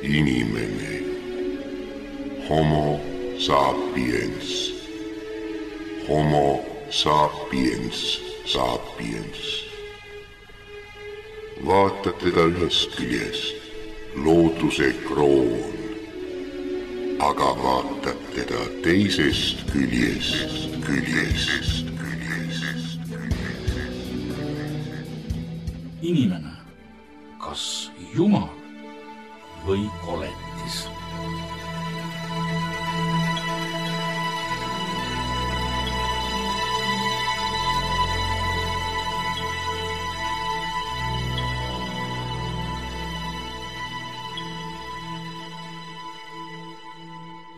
Inimene. Homo sapiens. Homo sapiens sapiens. Vaata teda ühest küljest, looduse kroon, aga vaatad teda teisest küljest. Inimene, kas Jumal või koletis?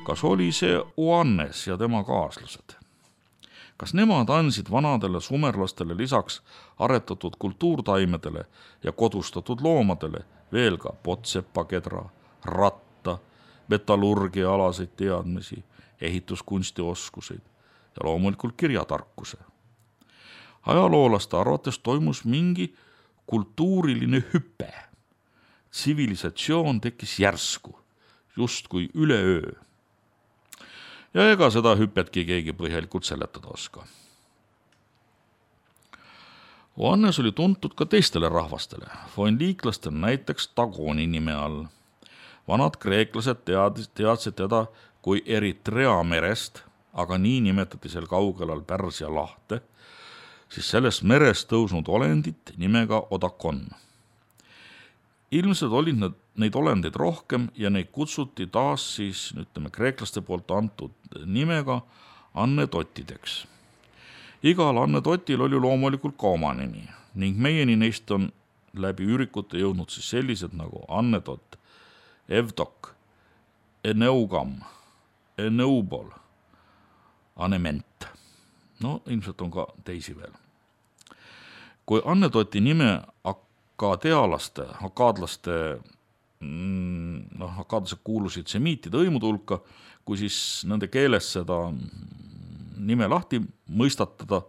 Kas oli see Oannes ja tema kaaslased? Kas nemad andsid vanadele sumerlastele lisaks aretatud kultuurtaimedele ja kodustatud loomadele veel ka potsepakedra, ratta, metallurgia-alaseid teadmisi, ehituskunstioskuseid ja loomulikult kirjatarkuse? Ajaloolaste arvates toimus mingi kultuuriline hüpe. Tsivilisatsioon tekkis järsku, justkui üleöö. Ja ega seda hüpetki keegi põhjalikult seletada oska. Oannes oli tuntud ka teistele rahvastele, foenliiklastele näiteks Dagoni nime all. Vanad kreeklased teadsid teda kui Eritrea merest, aga nii nimetati seal kaugelal Pärsia lahte, siis sellest merest tõusnud olendit nimega Odakon. Ilmselt olid neid olendeid rohkem ja neid kutsuti taas siis, kreeklaste poolt antud nimega annetottideks. Igal annetotil oli loomulikult ka oma nimi ning meieni neist on läbi üürikute jõudnud siis sellised nagu annetot, evdok, eneugam, eneubol, anement. No ilmselt on ka teisi veel. Kui annetoti nime akaadlaste kuulusid semiitide hõimude hulka, kui siis nende keeles seda nime lahti mõistatada,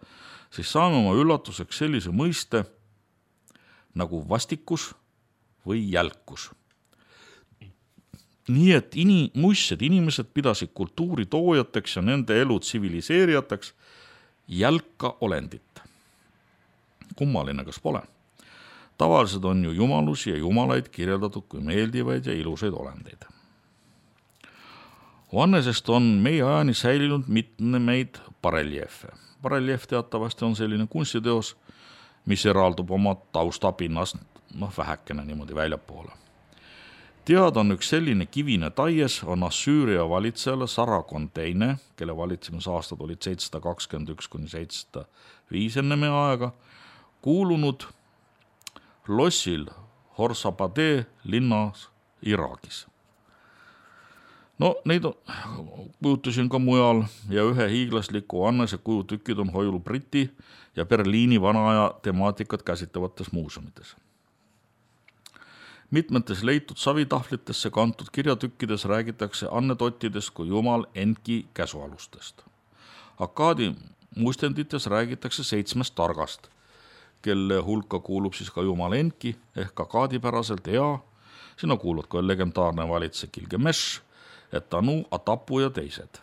siis saame oma üllatuseks sellise mõiste nagu vastikus või jälkus. Nii et muistsed inimesed pidasid kultuuri toojateks ja nende elu tsiviliseerijateks jälka olendit. Kummaline, kas pole? Tavaliselt on ju jumalusi ja jumalaid kirjeldatud kui meeldivaid ja ilusaid olendeid. Oannesest on meie ajani säilinud mitmeid bareljeefe. Bareljeef teatavasti on selline kunstiteos, mis eraldub oma taustapinnast vähekene niimoodi väljapoole. Teada on üks selline kivine taies, on Assüüria valitsejale Sargon II, kelle valitsemisaastad olid 721–705 enne meie aega, kuulunud lossil Horsapade linnas Iraagis. No neid kujutasin ka mujal ja ühe hiiglasliku Annese kujutükid on hoiul Briti ja Berliini vanaaja temaatikat käsitlevates muuseumides. Mitmetes leitud savitahvlitesse kantud kirjatükkides räägitakse annetottidest kui jumal Enki käsualustest. Akkaadi muistendites räägitakse 7 targast, kelle hulka kuulub siis ka jumal Enki ehk akaadipäraselt Ea, sinna kuulub ka legendaarne valitse Gilgamesh, Etanu, Atapu ja teised.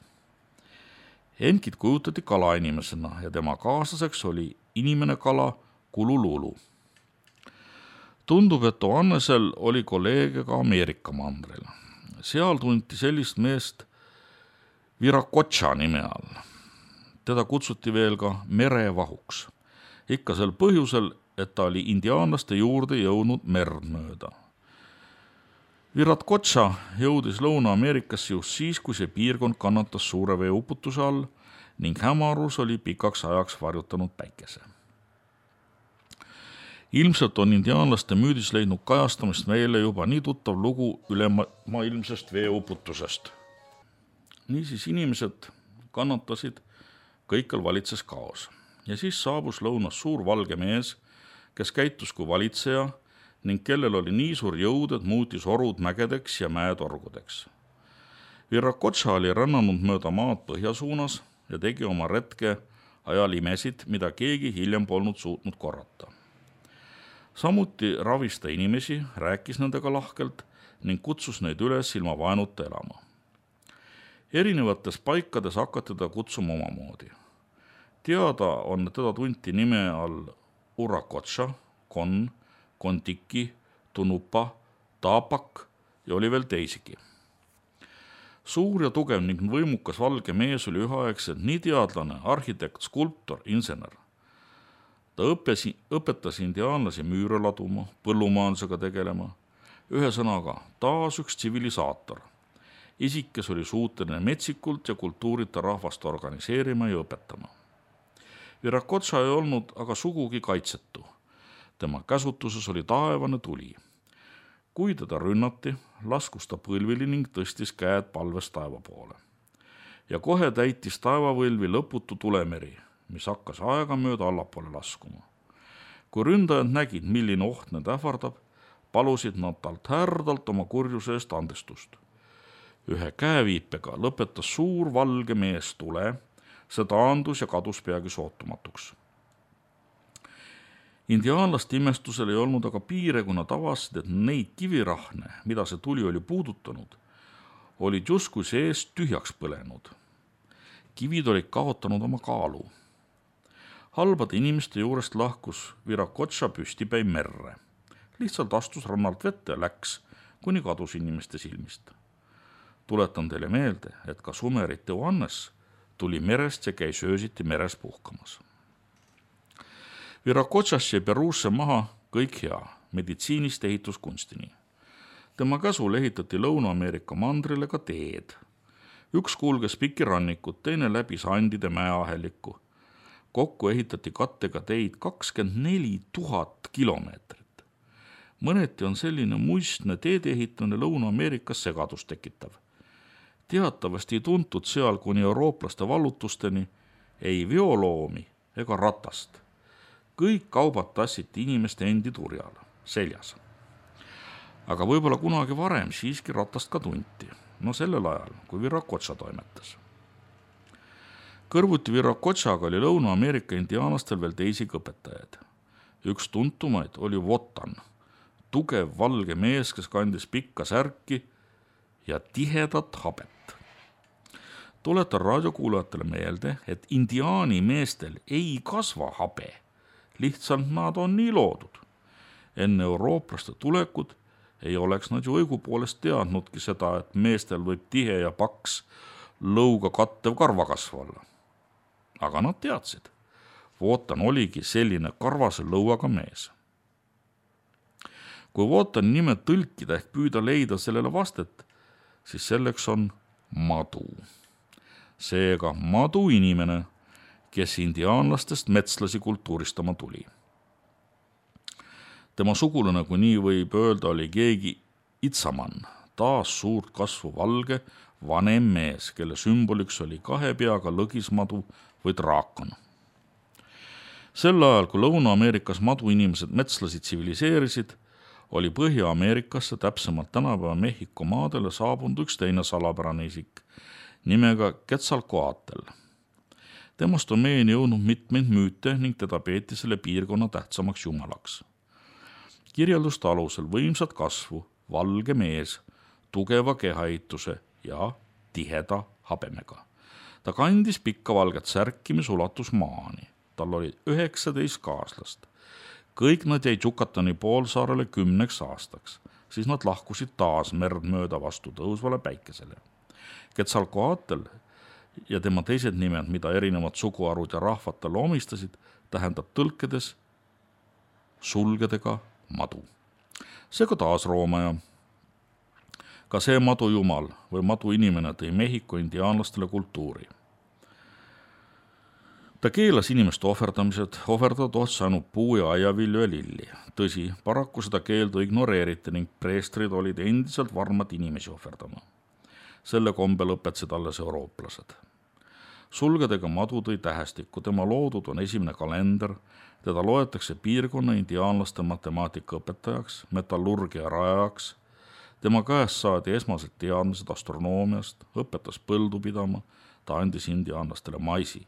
Enkit kujutati kalainimesena ja tema kaaslaseks oli inimene kala Kulululu. Tundub, et Oannesel oli kolleege ka Ameerika mandril. Seal tunti sellist meest Viracocha nime all. Teda kutsuti veel ka merevahuks. Ikka sel põhjusel, et ta oli indiaanlaste juurde jõudnud merd mööda. Viracocha jõudis Lõuna-Ameerikasse just siis, kui see piirkond kannatas suure veeuputuse all ning hämarus oli pikaks ajaks varjutanud päikese. Ilmselt on indiaanlaste müüdis leidnud kajastamist meile juba nii tuttav lugu ülemaailmsest veeuputusest. Niisiis inimesed kannatasid, kõikjal valitses kaos. Ja siis saabus lõunas suur valge mees, kes käitus kui valitseja ning kellel oli nii suur jõud, et muutis orud mägedeks ja mäetorgudeks. Viracocha oli rännanud mööda maad põhjasuunas ja tegi oma retke ajal imesid, mida keegi hiljem polnud suutnud korrata. Samuti ravis ta inimesi, rääkis nendega lahkelt ning kutsus neid üles ilma vaenuta elama. Erinevates paikades hakati teda kutsuma omamoodi. Teada on, et teda tunti nime all Urakotša, Kon, Kontiki, Tunupa, Taapak ja oli veel teisigi. Suur ja tugev ning võimukas valge mees oli üheaegselt nii teadlane, arhitekt, skulptor, insener. Ta õpetas indiaanlasi müüre laduma, põllumajandusega tegelema, ühesõnaga taas üks tsivilisaator. Isik, kes oli suuteline metsikult ja kultuurita rahvast organiseerima ja õpetama. Virakotša ei olnud aga sugugi kaitsetu. Tema käsutuses oli taevane tuli. Kui teda rünnati, laskus ta põlvili ning tõstis käed palves taeva poole. Ja kohe täitis taevavõlvi lõputu tulemeri, mis hakkas aegamööda allapoole laskuma. Kui ründajad nägid, milline oht need ähvardab, palusid nad talt härdalt oma kurjuse eest andestust. Ühe käeviipega lõpetas suur valge mees tule, see taandus ja kadus peagi sootumatuks. Indiaanlaste imestusel ei olnud aga piire, kuna tavasid, et neid kivirahne, mida see tuli oli puudutanud, olid justkui seest tühjaks põlenud. Kivid olid kaotanud oma kaalu. Halbade inimeste juurest lahkus Virakotša püstipäi merre. Lihtsalt astus rannalt vette ja läks, kuni kadus inimeste silmist. Tuletan teile meelde, et ka Sumerite Johannes tuli merest ja käis öösiti meres puhkamas. Virakotšast jäi Peruusse maha kõik hea, meditsiinist ehituskunstini. Tema käsul ehitati Lõuna-Ameerika mandrile ka teed. Üks kulges pikki rannikut, teine läbi Andide mäeahelikku. Kokku ehitati kattega teid 24 000 kilomeetrit. Mõneti on selline muistne teede ehitamine Lõuna-Ameerikas segadust tekitav. Teatavasti ei tuntud seal kuni eurooplaste vallutusteni ei veoloomi ega ratast. Kõik kaubad tassiti inimeste endi turjal, seljas. Aga võib-olla kunagi varem siiski ratast ka tunti. No sellel ajal, kui Virakotša toimetas. Kõrvuti Virakotšaga oli Lõuna-Ameerika indiaanlastel veel teisigi õpetajaid. Üks tuntumaid oli Wotan, tugev valge mees, kes kandis pikka särki ja tihedat habet. Tuletan raadiokuulajatele meelde, et indiaani meestel ei kasva habe. Lihtsalt nad on nii loodud. Enne eurooplaste tulekut ei oleks nad ju õigupoolest teadnudki seda, et meestel võib tihe ja paks lõuga kattev karvakasv olla. Aga nad teadsid. Wotan oligi selline karvase lõuaga mees. Kui Wotani nime tõlkida ehk püüda leida sellele vastet, siis selleks on madu. Seega madu inimene, kes indiaanlastest metslasi kultuuristama tuli. Tema sugulane, kui nii võib öelda, oli keegi Itsaman, taas suurt kasvu valge, vanem mees, kelle sümboliks oli 2 peaga lõgismadu või draakon. Sel ajal, kui Lõuna-Ameerikas madu inimesed metslasi tsiviliseerisid, oli Põhja-Ameerikasse, täpsemalt tänapäeva Mehhiko maadele saabunud üks teine salapärane isik nimega Quetzalcoatl. Temast on meieni jõudnud mitmeid müüte ning teda peeti selle piirkonna tähtsamaks jumalaks. Kirjelduste alusel võimsat kasvu, valge mees, tugeva kehaehituse ja tiheda habemega. Ta kandis pikka valget särki, mis ulatus maani. Tal oli 19 kaaslast. Kõik nad jäid Yucatani poolsaarele 10 aastaks, siis nad lahkusid taas merd mööda vastu tõusvale päikesele. Quetzalcoatl ja tema teised nimed, mida erinevad suguarud ja rahvad talle omistasid, tähendab tõlkedes sulgedega madu. Seega taas roomaja. Ka see madujumal või maduinimene tõi Mehhiko indiaanlastele kultuuri. Ta keelas inimeste ohverdamised, ohverdada tohtis ainult puu- ja aiavilju ja lilli. Tõsi, paraku seda keeldu ignoreeriti ning preestrid olid endiselt varmad inimesi ohverdama. Selle kombel õpetasid alles eurooplased. Sulgedega madu tõi tähestikku, tema loodud on esimene kalender, teda loetakse piirkonna indiaanlaste matemaatika õpetajaks, metallurgia rajajaks, tema käest saadi esmased teadmised astronoomiast, õpetas põldu pidama, ta andis indiaanlastele maisi.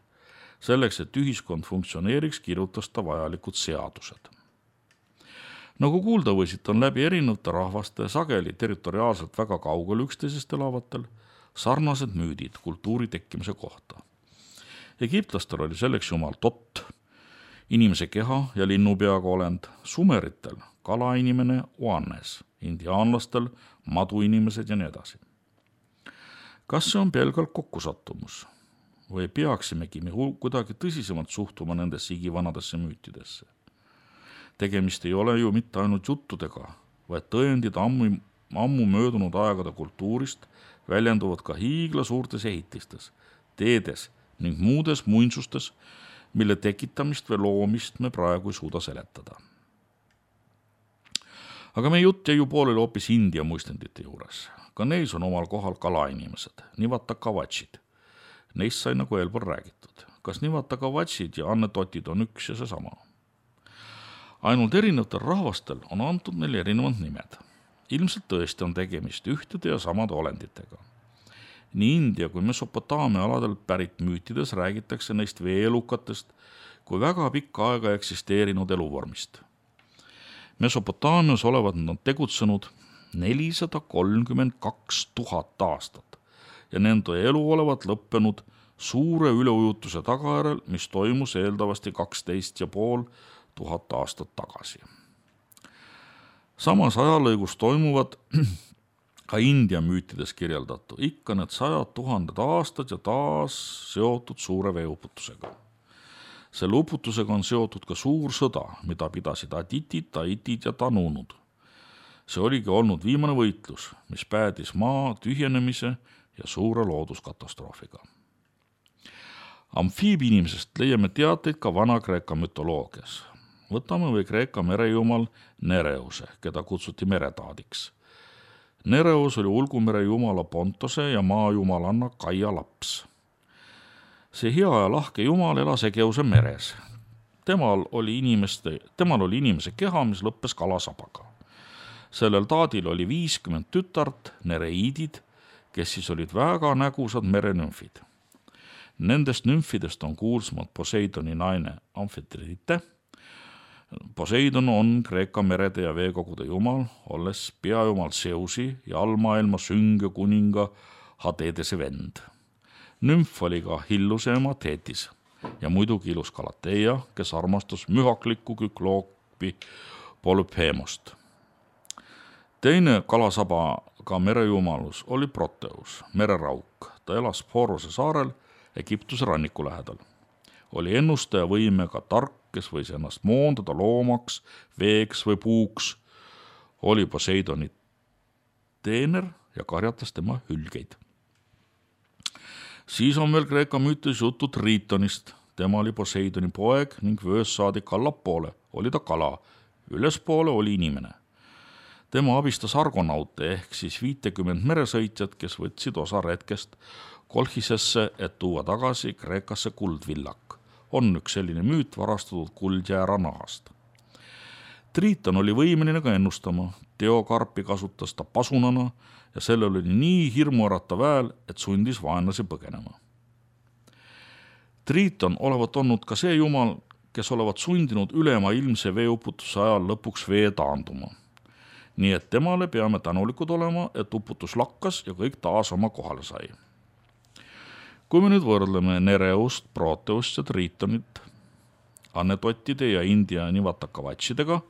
Selleks, et ühiskond funktsioneeriks, kirjutas ta vajalikud seadused. Nagu kuulda võisid, on läbi erinevate rahvaste sageli territoriaalselt väga kaugel üksteisest elavatel sarnased müüdid kultuuri tekkimise kohta. Egiptlastel oli selleks jumal Tot, inimese keha ja linnupeaga olend, sumeritel kalainimene Oannes, indiaanlastel maduinimesed ja nii edasi. Kas see on pelgalt kokkusattumus või peaksimegi me kuidagi tõsisemalt suhtuma nendesse igivanadesse müütidesse? Tegemist ei ole ju mitte ainult juttudega, vaid tõendid ammu möödunud aegade kultuurist väljenduvad ka hiigla suurtes ehitistes, teedes ning muudes muinsustes, mille tekitamist või loomist me praegu ei suuda seletada. Aga meie jutt jäi ju pooleli hoopis India muistendite juures. Ka neis on omal kohal kalainimesed, Nivatakavatšid. Neist sai nagu eelpool räägitud. Kas Nivatakavatšid ja annetotid on üks ja seesama? Ainult erinevatel rahvastel on antud neil erinevad nimed. Ilmselt tõesti on tegemist ühtede ja samade olenditega. Nii India kui Mesopotaamia aladel pärit müütides räägitakse neist veelukatest kui väga pikka aega eksisteerinud eluvormist. Mesopotaamias olevat nad tegutsenud 432 000 aastat ja nende elu olevat lõppenud suure üleujutuse tagajärjel, mis toimus eeldavasti 12,5 tuhat aastat tagasi. Samas ajalõigus toimuvad ka India müütides kirjeldatu, ikka need 100 000 aastad ja taas seotud suure veeuputusega. Selle uputusega on seotud ka suur sõda, mida pidasid Aditid, Taitid ja Tanunud. See oligi olnud viimane võitlus, mis päädis maa tühjenemise ja suure looduskatastroofiga. Amfiibi-inimesest leiame teateid ka Vana-Kreeka mütoloogias. Võtame või Kreeka merejumal Nereuse, keda kutsuti meretaadiks. Nereus oli ulgumere jumala Pontose ja maajumalanna Kaia laps. See hea ja lahke jumal elas Egeuse meres. Temal oli inimese keha, mis lõppes kalasabaga. Sellel taadil oli 50 tütart, nereiidid, kes siis olid väga nägusad merenümfid. Nendest nümfidest on kuulsamad Poseidoni naine Amfitrite. Poseidon on Kreeka merede ja veekogude jumal, olles peajumal Zeusi ja allmaailma sünge kuninga Hadedese vend. Nümf oli ka Hilluse ema Thetis ja muidugi ilus Galateia, kes armastas mühaklikku Kükloopi Polyphemost. Teine kalasabaga merejumalus oli Proteus, mererauk. Ta elas Forose saarel Egiptuse ranniku lähedal. Oli ennustaja võimega tark, kes võis ennast moondada loomaks, veeks või puuks. Oli Poseidoni teener ja karjatas tema hülgeid. Siis on veel Kreeka müütis jutu Tritonist. Tema oli Poseidoni poeg ning vöös saadik allapoole oli ta kala, ülespoole oli inimene. Tema abistas argonaute ehk siis 50 meresõitjat, kes võtsid osa retkest Kolchisesse, et tuua tagasi Kreekasse kuldvillak. On üks selline müüt varastatud kuldjäära nahast. Triton oli võimeline ka ennustama. Teokarpi kasutas ta pasunana ja sellel oli nii hirmuäratav hääl, et sundis vaenlasi põgenema. Triton olevat olnud ka see jumal, kes olevat sundinud ülema ilmse veeuputuse ajal lõpuks vee taanduma. Nii et temale peame tänulikud olema, et uputus lakkas ja kõik taas oma kohale sai. Kui me nüüd võrdleme Nereust, Proteust ja Tritonit annetotide ja India Nivatakavatšidega,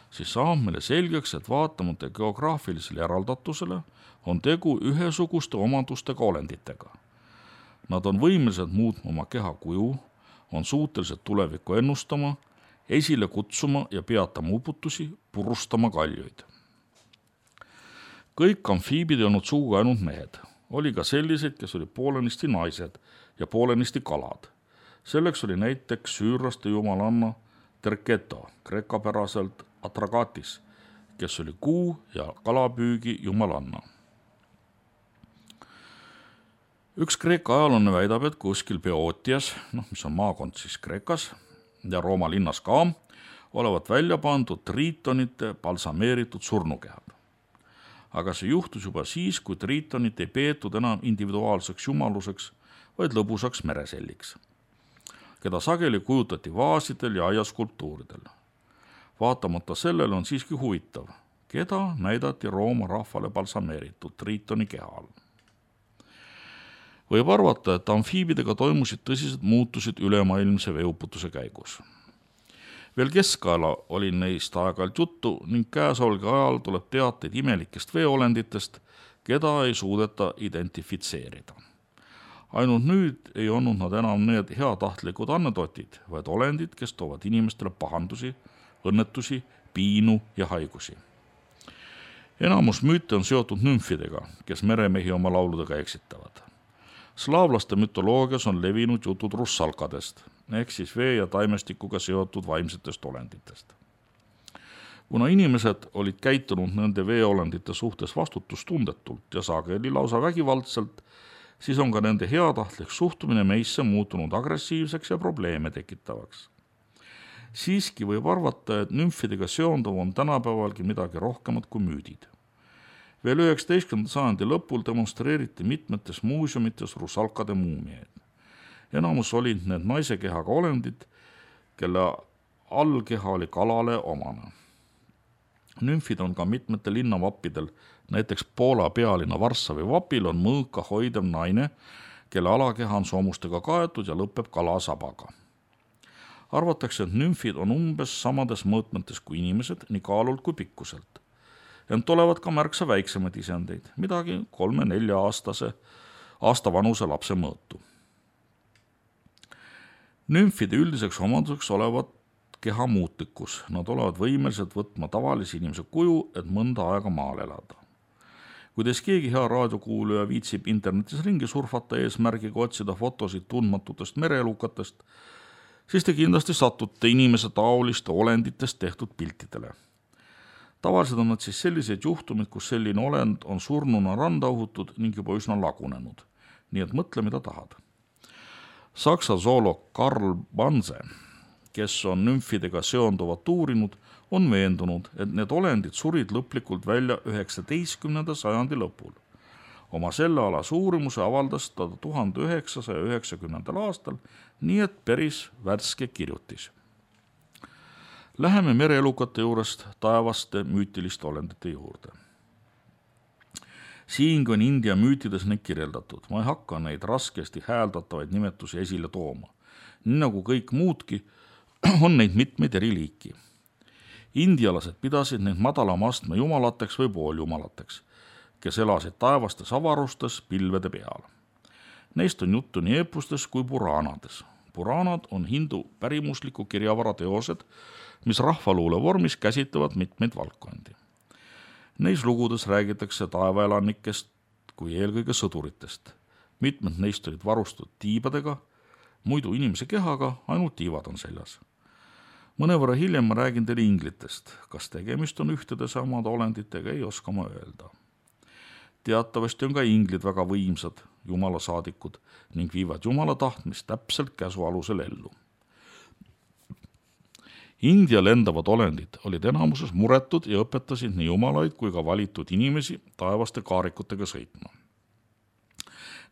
siis saab meile selgeks, et vaatamata geograafilisele eraldatusele on tegu ühesuguste omadustega olenditega. Nad on võimelised muutma oma keha kuju, on suutelised tulevikku ennustama, esile kutsuma ja peatama uputusi, purustama kaljuid. Kõik amfiibid ei olnud sugugi ainult mehed. Oli ka selliseid, kes oli poolenisti naised ja poolenisti kalad. Selleks oli näiteks süürlaste jumalanna Terketo, kreekapäraselt Atragatis, kes oli kuu ja kalapüügi jumalanna. Üks Kreeka ajalane väidab, et kuskil Beotias, mis on maakond siis Kreekas ja Rooma linnas ka, olevat välja pandud triitonite balsameeritud surnukehad. Aga see juhtus juba siis, kui triitonit ei peetud enam individuaalseks jumaluseks, vaid lõbusaks mereselliks, keda sageli kujutati vaasidel ja aiaskulptuuridel. Vaatamata sellele on siiski huvitav, keda näidati Rooma rahvale balsameeritud Tritoni keha all. Võib arvata, et amfiibidega toimusid tõsised muutused ülemaailmse veeuputuse käigus. Veel keskajal oli neist aeg-ajalt juttu ning käesolge ajal tuleb teateid imelikest veeolenditest, keda ei suudeta identifitseerida. Ainult nüüd ei olnud nad enam need heatahtlikud annetotid, vaid olendid, kes toovad inimestele pahandusi, õnnetusi, piinu ja haigusi. Enamus müüte on seotud nümfidega, kes meremehi oma lauludega eksitavad. Slaavlaste mütoloogias on levinud jutud russalkadest, ehk siis vee ja taimestikuga seotud vaimsetest olenditest. Kuna inimesed olid käitunud nende veeolendite suhtes vastutustundetult ja sageli lausa vägivaldselt, siis on ka nende heatahtlik suhtumine meisse muutunud agressiivseks ja probleeme tekitavaks. Siiski võib arvata, et nümfidega seonduv on tänapäevalgi midagi rohkemat kui müüdid. Veel 19. sajandi lõpul demonstreeriti mitmetes muuseumites russalkade muumiaid. Enamus olid need naise kehaga olendid, kelle allkeha oli kalale omane. Nümfid on ka mitmetel linnavappidel, näiteks Poola pealinna Varssavi vapil on mõõka hoidev naine, kelle alakeha on soomustega kaetud ja lõpeb kalasabaga. Arvatakse, et nümfid on umbes samades mõõtmetes kui inimesed, nii kaalult kui pikkuselt. Ent olevat ka märksa väiksemaid isendeid, midagi 3-4 aasta vanuse lapse mõõtu. Nümfide üldiseks omaduseks olevat keha muutlikkus. Nad olevat võimelised võtma tavalise inimese kuju, et mõnda aega maal elada. Kuidas keegi hea raadiokuulaja viitsib internetis ringi surfata eesmärgiga otsida fotosid tundmatutest mereelukatest, siis te kindlasti satute inimese taoliste olenditest tehtud piltidele. Tavaliselt on nad siis sellised juhtumid, kus selline olend on surnuna randa uhutud ning juba üsna lagunenud. Nii et mõtle, mida tahad. Saksa zooloog Karl Banse, kes on nümfidega seonduvat uurinud, on veendunud, et need olendid surid lõplikult välja 19. sajandi lõpul. Oma sellealase uurimuse avaldas ta 1990. aastal, nii et päris värske kirjutis. Läheme mereelukate juurest taevaste müütiliste olendite juurde. Siingi on India müütides neid kirjeldatud. Ma ei hakka neid raskesti hääldatavaid nimetusi esile tooma. Nii nagu kõik muudki, on neid mitmeid eri liiki. Indialased pidasid neid madalama astme jumalateks või pooljumalateks, kes elasid taevastes avarustes pilvede peal. Neist on juttu nii eepustes kui puraanades. Puraanad on hindu pärimusliku kirjavara teosed, mis rahvaluule vormis käsitlevad mitmeid valdkondi. Neis lugudes räägitakse taevaelanikest kui eelkõige sõduritest. Mitmed neist olid varustatud tiibadega, muidu inimese kehaga, ainult tiivad on seljas. Mõnevõrra hiljem ma räägin teile inglitest. Kas tegemist on ühtede samade olenditega, ei oska ma öelda. Teatavasti on ka inglid väga võimsad jumala saadikud ning viivad jumala tahtmist täpselt käsu alusel ellu. India lendavad olendid olid enamuses muretud ja õpetasid nii jumalaid kui ka valitud inimesi taevaste kaarikutega sõitma.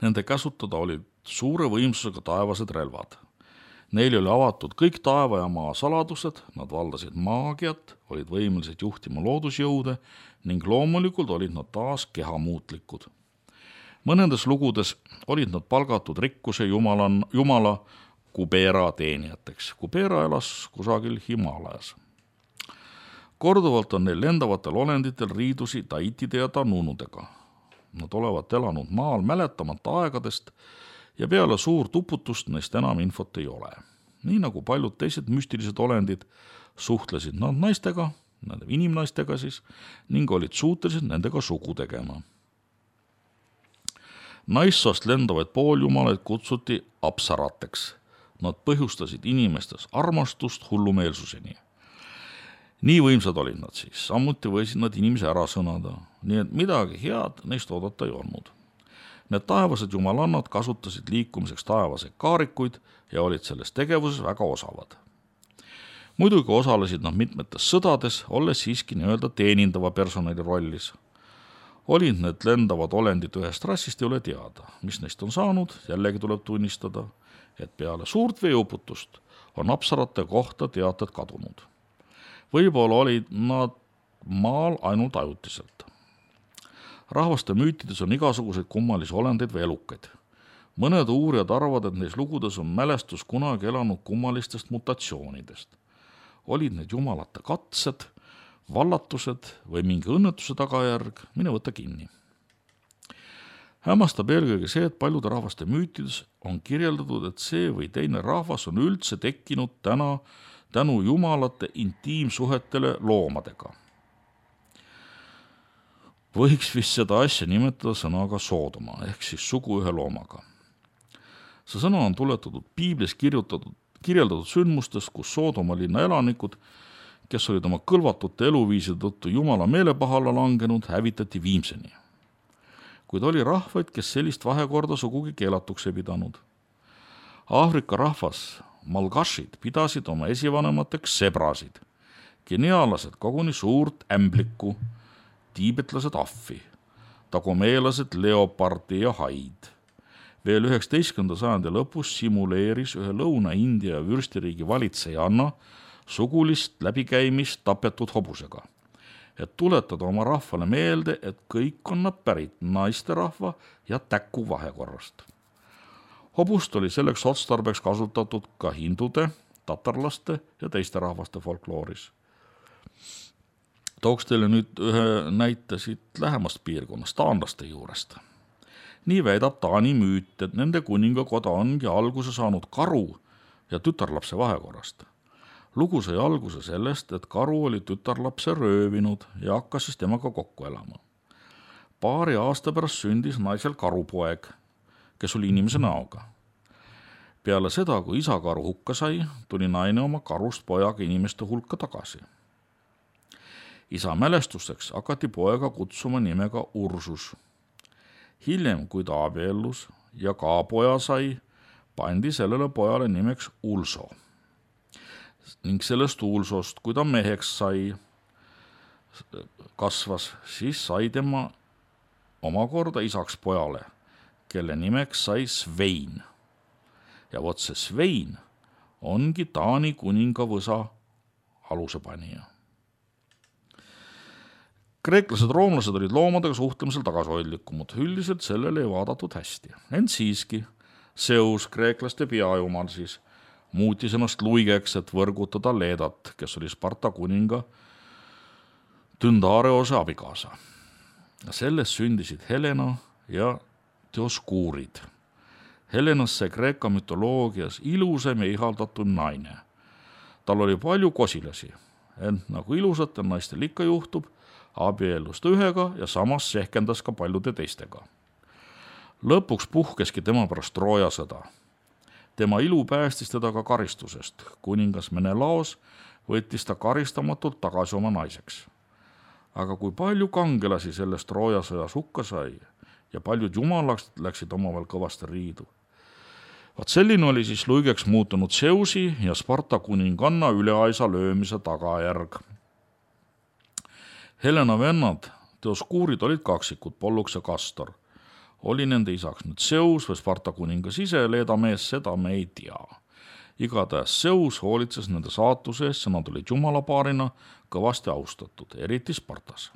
Nende käsutada olid suure võimsusega taevased relvad. Neil oli avatud kõik taeva ja maa saladused, nad valdasid maagiat, olid võimelised juhtima loodusjõude ning loomulikult olid nad taas kehamuutlikud. Mõnedes lugudes olid nad palgatud rikkuse jumala Kubera teenijateks. Kubera elas kusagil Himalajas. Korduvalt on neil lendavatel olenditel riidusi taitide ja tanunudega. Nad olevat elanud maal mäletamata aegadest ja peale suurt uputust neist enam infot ei ole. Nii nagu paljud teised müstilised olendid suhtlesid nad naistega, nende inimnaistega siis, ning olid suutelised nendega sugu tegema. Naissoost lendavaid pooljumalaid kutsuti apsarateks. Nad põhjustasid inimestes armastust hullumeelsuseni. Nii võimsad olid nad siis, samuti võisid nad inimese ära sõnada, nii et midagi head neist oodata ei olnud. Need taevased jumalannad kasutasid liikumiseks taevaseid kaarikuid ja olid selles tegevuses väga osavad. Muidugi osalesid nad mitmetes sõdades, olles siiski nii-öelda teenindava personali rollis. Olid need lendavad olendid ühest rassist ei ole teada, mis neist on saanud, jällegi tuleb tunnistada, et peale suurt veeuputust on apsarate kohta teated kadunud. Võib-olla olid nad maal ainult ajutiselt. Rahvaste müütides on igasuguseid kummalisi olendeid või elukaid. Mõned uurijad arvavad, et neis lugudes on mälestus kunagi elanud kummalistest mutatsioonidest. Olid need jumalate katsed, vallatused või mingi õnnetuse tagajärg, mine võta kinni. Hämmastab eelkõige see, et paljude rahvaste müütides on kirjeldatud, et see või teine rahvas on üldse tekkinud tänu jumalate intiimsuhetele loomadega. Võiks vist seda asja nimetada sõnaga Soodoma, ehk siis sugu ühe loomaga. See sõna on tuletatud piiblis kirjeldatud sündmustest, kus Soodoma linna elanikud, kes olid oma kõlvatute eluviiside tõttu jumala meelepahale langenud, hävitati viimseni. Kuid oli rahvaid, kes sellist vahekorda sugugi keelatuks ei pidanud. Aafrika rahvas, malgashid, pidasid oma esivanemateks sebrasid, geniaalased koguni suurt ämblikku, tiibetlased ahvi, tagomeelased leopardi ja haid. Veel 19. sajandi lõpus simuleeris ühe Lõuna-India vürstiriigi valitsejanna sugulist läbikäimist tapetud hobusega, et tuletada oma rahvale meelde, et kõik on nad pärit naisterahva ja täku vahekorrast. Hobust oli selleks otstarbeks kasutatud ka hindude, tatarlaste ja teiste rahvaste folklooris. Tooks teile nüüd ühe näite siit lähemast piirkonnast, taanlaste juurest. Nii väidab Taani müüt, et nende kuningakoda ongi alguse saanud karu ja tütarlapse vahekorrast. Lugu sai alguse sellest, et karu oli tütarlapse röövinud ja hakkas siis temaga kokku elama. Paari aasta pärast sündis naisel karupoeg, kes oli inimese näoga. Peale seda, kui isa karu hukka sai, tuli naine oma karust pojaga inimeste hulka tagasi. Isa mälestuseks hakati poega kutsuma nimega Ursus. Hiljem, kui ta abiellus ja ka poja sai, pandi sellele pojale nimeks Ulso. Ning sellest Ulsost, kui ta meheks sai, kasvas, siis sai tema omakorda isaks pojale, kelle nimeks sai Svein. Ja vot see Svein ongi Taani kuningavõsa alusepanija. Kreeklased roomlased olid loomadega suhtlemisel tagasihoidlikumad, üldiselt sellele ei vaadatud hästi. Ent siiski, Zeus, kreeklaste peajumal siis, muutis ennast luigeks, et võrgutada Leedat, kes oli Sparta kuninga Tyndareose abikaasa. Sellest sündisid Helena ja Dioskuurid. Helenas sai Kreeka mütoloogias ilusam ja ihaldatud naine. Tal oli palju kosilasi, ent nagu ilusatel naistel ikka juhtub, abiellus ta ühega ja samas sehkendas ka paljude teistega. Lõpuks puhkeski tema pärast Trooja sõda. Tema ilu päästis teda ka karistusest. Kuningas Menelaos võttis ta karistamatult tagasi oma naiseks. Aga kui palju kangelasi sellest Trooja sõjas hukka sai ja paljud jumalaks läksid omavahel kõvasti riidu. Vaat selline oli siis luigeks muutunud Zeusi ja Sparta kuninganna üleaisa löömise tagajärg. Helena vennad, Dioskuurid olid kaksikud, Pollux ja Castor. Oli nende isaks nüüd Zeus või Sparta kuningas ise, Leeda mees, seda me ei tea. Igatahes Zeus hoolitses nende saatuse eest, nad olid jumalapaarina kõvasti austatud, eriti Spartas.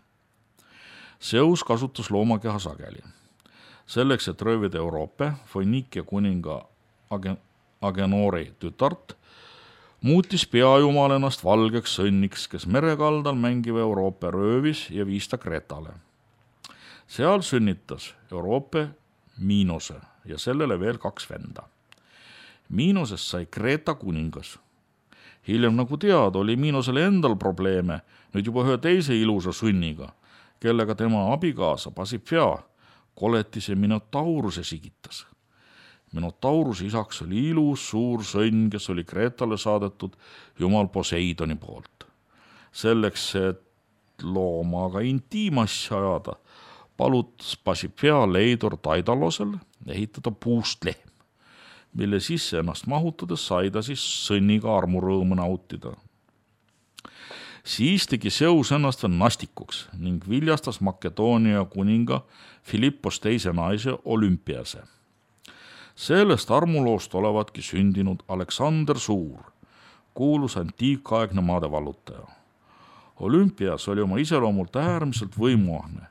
Zeus kasutas loomakeha sageli. Selleks, et röövida Euroopa, Foinikia kuninga Agenori tütart, muutis peajumal ennast valgeks sõnniks, kes merekaldal mängiva Euroopa röövis ja viis ta Kretale. Seal sünnitas Euroopa Miinose ja sellele veel 2 venda. Miinosest sai Kreeta kuningas. Hiljem, nagu teada, oli Miinosele endal probleeme, nüüd juba ühe teise ilusa sõnniga, kellega tema abikaasa Pasiphae koletis ja Minotauruse sigitas. Minotauruse isaks oli ilus suur sõnn, kes oli Kreetale saadetud jumal Poseidoni poolt. Selleks, et loomaga intiimasja ajada, palutas Pasiphae Leidur Daidalosel ehitada puust lehm, mille sisse ennast mahutades sai ta siis sõnniga armurõõmu nautida. Siis tegi Zeus ennast veel nastikuks ning viljastas Makedoonia kuninga Philippos teise naise Olümpiase. Sellest armuloost olevatki sündinud Aleksander Suur, kuulus antiikaegne maade vallutaja. Olümpias oli oma iseloomult äärmiselt võimuahne.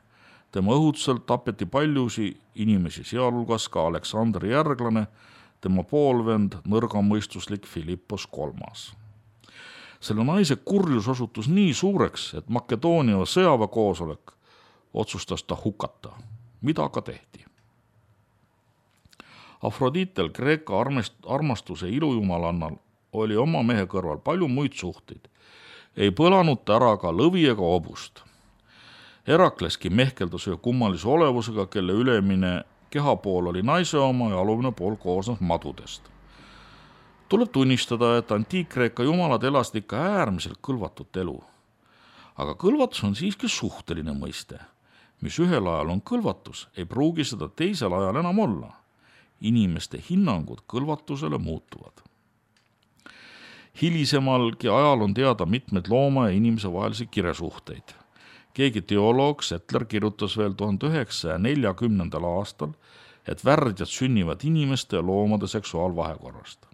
Tema õhutusel tapeti paljusi inimesi, sealhulgas ka Aleksandri järglane, tema poolvend, nõrgamõistuslik Filippos III. Selle naise kurjus osutus nii suureks, et Makedoonia sõjaväekoosolek otsustas ta hukata, mida ka tehti. Afrodiitel, Kreeka armastuse ilujumalannal, oli oma mehe kõrval palju muid suhteid. Ei põlanud ta ära ka lõvi ega hobust. Herakleski mehkeldas ühe kummalise olevusega, kelle ülemine kehapool oli naise oma ja alumine pool koosnes madudest. Tuleb tunnistada, et antiik-Kreeka jumalad elasid ikka äärmiselt kõlvatut elu. Aga kõlvatus on siiski suhteline mõiste. Mis ühel ajal on kõlvatus, ei pruugi seda teisel ajal enam olla. Inimeste hinnangud kõlvatusele muutuvad. Hilisemalgi ajal on teada mitmed looma ja inimese vahelisi kiresuhteid. Keegi teoloog Settler kirjutas veel 1940. aastal, et värdjad sünnivad inimeste ja loomade seksuaalvahekorrast.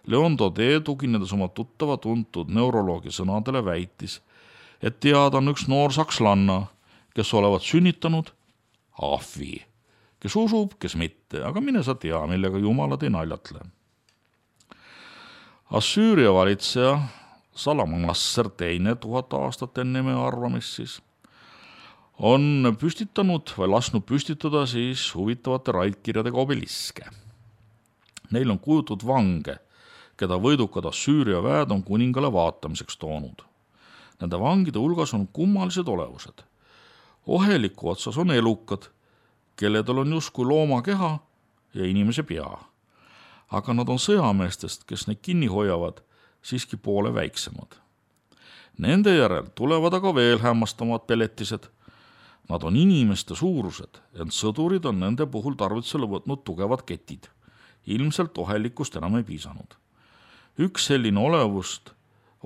Leon Daudet, tuginedes oma tuttava tuntud neuroloogi sõnadele, väitis, et teada on üks noor sakslanna, kes olevat sünnitanud ahvi, kes usub, kes mitte, aga mine sa tea, millega jumalad ei naljatle. Assüüria valitseja Salamanasser II 1000 aastat enne meie arvamist siis on püstitanud või lasknud püstitada siis huvitavate raidkirjadega obeliske. Neil on kujutud vange, keda võidukad Assüüria väed on kuningale vaatamiseks toonud. Nende vangide hulgas on kummalised olevused. Oheliku otsas on elukad, kelledel on justkui looma keha ja inimese pea. Aga nad on sõjameestest, kes neid kinni hoiavad, siiski poole väiksemad. Nende järel tulevad aga veel hämmastamad peletised. Nad on inimeste suurused, ent sõdurid on nende puhul tarvitusele võtnud tugevad ketid. Ilmselt ohelikust enam ei piisanud. Üks selline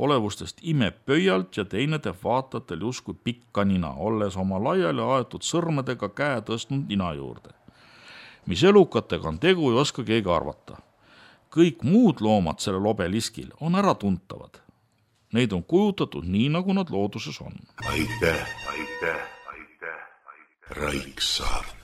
olevustest imeb pöialt ja teine teeb vaatatel justkui pikka nina, olles oma laiali aetud sõrmedega käe tõstnud nina juurde. Mis elukatega on tegu, ei oska keegi arvata. Kõik muud loomad sellel obeliskil on ära tuntavad. Neid on kujutatud nii, nagu nad looduses on. Aitäh, Raiksaart.